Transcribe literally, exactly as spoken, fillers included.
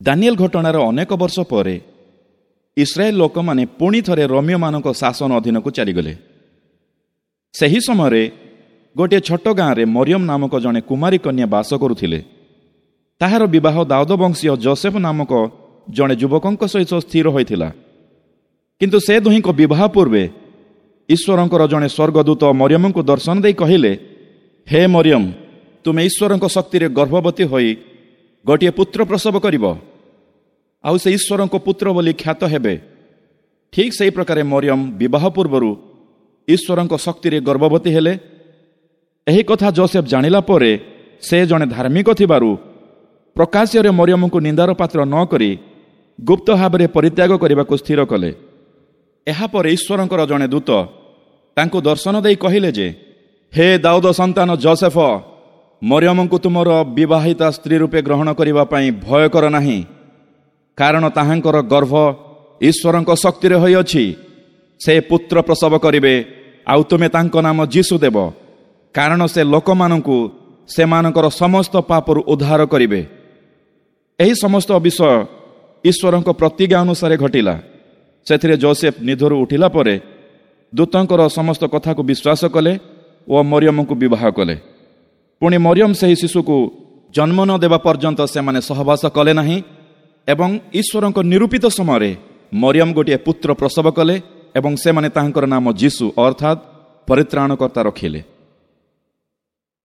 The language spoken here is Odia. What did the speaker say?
ଦାନିଏଲ ଘଟଣାର ଅନେକ ବର୍ଷ ପରେ ଇସ୍ରାଏଲ ଲୋକମାନେ ପୁଣି ଥରେ ରୋମୀୟମାନଙ୍କ ଶାସନ ଅଧୀନକୁ ଚାଲିଗଲେ। ସେହି ସମୟରେ ଗୋଟିଏ ଛୋଟ ଗାଁରେ ମରିୟମ ନାମକ ଜଣେ କୁମାରୀ କନ୍ୟା ବାସ କରୁଥିଲେ। ତାହାର ବିବାହ ଦାଉଦ ବଂଶୀୟ ଜୋସେଫ ନାମକ ଜଣେ ଯୁବକଙ୍କ ସହିତ ସ୍ଥିର ହୋଇଥିଲା। କିନ୍ତୁ ସେ ଦୁହିଁଙ୍କ ବିବାହ ପୂର୍ବେ ଈଶ୍ୱରଙ୍କର ଜଣେ ସ୍ୱର୍ଗଦୂତ ମରିୟମଙ୍କୁ ଦର୍ଶନ ଦେଇ କହିଲେ, ହେ ମରିୟମ, ତୁମେ ଈଶ୍ୱରଙ୍କ ଶକ୍ତିରେ ଗର୍ଭବତୀ ହୋଇ ଗୋଟିଏ ପୁତ୍ର ପ୍ରସବ କରିବ, ଆଉ ସେ ଈଶ୍ୱରଙ୍କ ପୁତ୍ର ବୋଲି ଖ୍ୟାତ ହେବେ। ଠିକ୍ ସେହି ପ୍ରକାରେ ମରିୟମ ବିବାହ ପୂର୍ବରୁ ଈଶ୍ୱରଙ୍କ ଶକ୍ତିରେ ଗର୍ଭବତୀ ହେଲେ। ଏହି କଥା ଜୋସେଫ ଜାଣିଲା ପରେ ସେ ଜଣେ ଧାର୍ମିକ ଥିବାରୁ ପ୍ରକାଶ୍ୟରେ ମରିୟମଙ୍କୁ ନିନ୍ଦାର ପାତ୍ର ନ କରି ଗୁପ୍ତ ଭାବରେ ପରିତ୍ୟାଗ କରିବାକୁ ସ୍ଥିର କଲେ। ଏହାପରେ ଈଶ୍ୱରଙ୍କର ଜଣେ ଦୂତ ତାଙ୍କୁ ଦର୍ଶନ ଦେଇ କହିଲେ ଯେ, ହେ ଦାଉଦ ସନ୍ତାନ ଜୋସେଫ, ମରିୟମଙ୍କୁ ତୁମର ବିବାହିତା ସ୍ତ୍ରୀ ରୂପେ ଗ୍ରହଣ କରିବା ପାଇଁ ଭୟ କର ନାହିଁ, କାରଣ ତାହାଙ୍କର ଗର୍ଭ ଈଶ୍ୱରଙ୍କ ଶକ୍ତିରେ ହୋଇଅଛି। ସେ ପୁତ୍ର ପ୍ରସବ କରିବେ, ଆଉ ତୁମେ ତାଙ୍କ ନାମ ଯୀଶୁ ଦେବ, କାରଣ ସେ ଲୋକମାନଙ୍କୁ ସେମାନଙ୍କର ସମସ୍ତ ପାପରୁ ଉଦ୍ଧାର କରିବେ। ଏହି ସମସ୍ତ ବିଷୟ ଈଶ୍ୱରଙ୍କ ପ୍ରତିଜ୍ଞା ଅନୁସାରେ ଘଟିଲା। ସେଥିରେ ଜୋସେଫ ନିଦରୁ ଉଠିଲା ପରେ ଦୂତଙ୍କର ସମସ୍ତ କଥାକୁ ବିଶ୍ୱାସ କଲେ ଓ ମରିୟମଙ୍କୁ ବିବାହ କଲେ। ପୁଣି ମରିୟମ ସେହି ଶିଶୁକୁ ଜନ୍ମ ନ ଦେବା ପର୍ଯ୍ୟନ୍ତ ସେମାନେ ସହବାସ କଲେ ନାହିଁ, ଏବଂ ଈଶ୍ୱରଙ୍କ ନିରୂପିତ ସମୟରେ ମରିୟମ ଗୋଟିଏ ପୁତ୍ର ପ୍ରସବ କଲେ ଏବଂ ସେମାନେ ତାହାଙ୍କର ନାମ ଯୀଶୁ ଅର୍ଥାତ୍ ପରିତ୍ରାଣକର୍ତ୍ତା ରଖିଲେ।